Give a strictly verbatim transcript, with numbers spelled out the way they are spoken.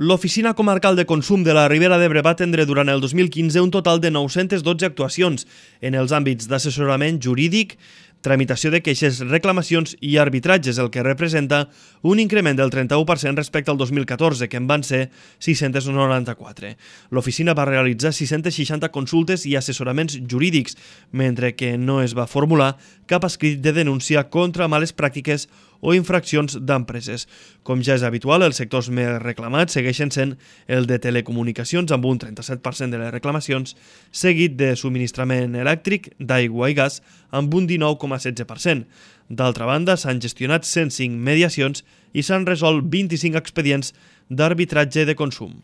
L'Oficina Comarcal de Consum de la Ribera d'Ebre va atendre durant el dos mil quinze un total de nou-centes dotze actuacions en els àmbits d'assessorament jurídic, tramitació de queixes, reclamacions i arbitratges, el que representa un increment del trenta-u per cent respecte al dos mil catorze, que en van ser sis-cents noranta-quatre. L'oficina va realitzar sis-centes seixanta consultes i assessoraments jurídics, mentre que no es va formular cap escrit de denúncia contra males pràctiques o infraccions d'empreses. Com ja és habitual, els sectors més reclamats segueixen sent el de telecomunicacions, amb un trenta-set per cent de les reclamacions, seguit de subministrament elèctric, d'aigua i gas, amb un dinou coma setze per cent. D'altra banda, s'han gestionat cent cinc mediacions i s'han resolt vint-i-cinc expedients d'arbitratge de consum.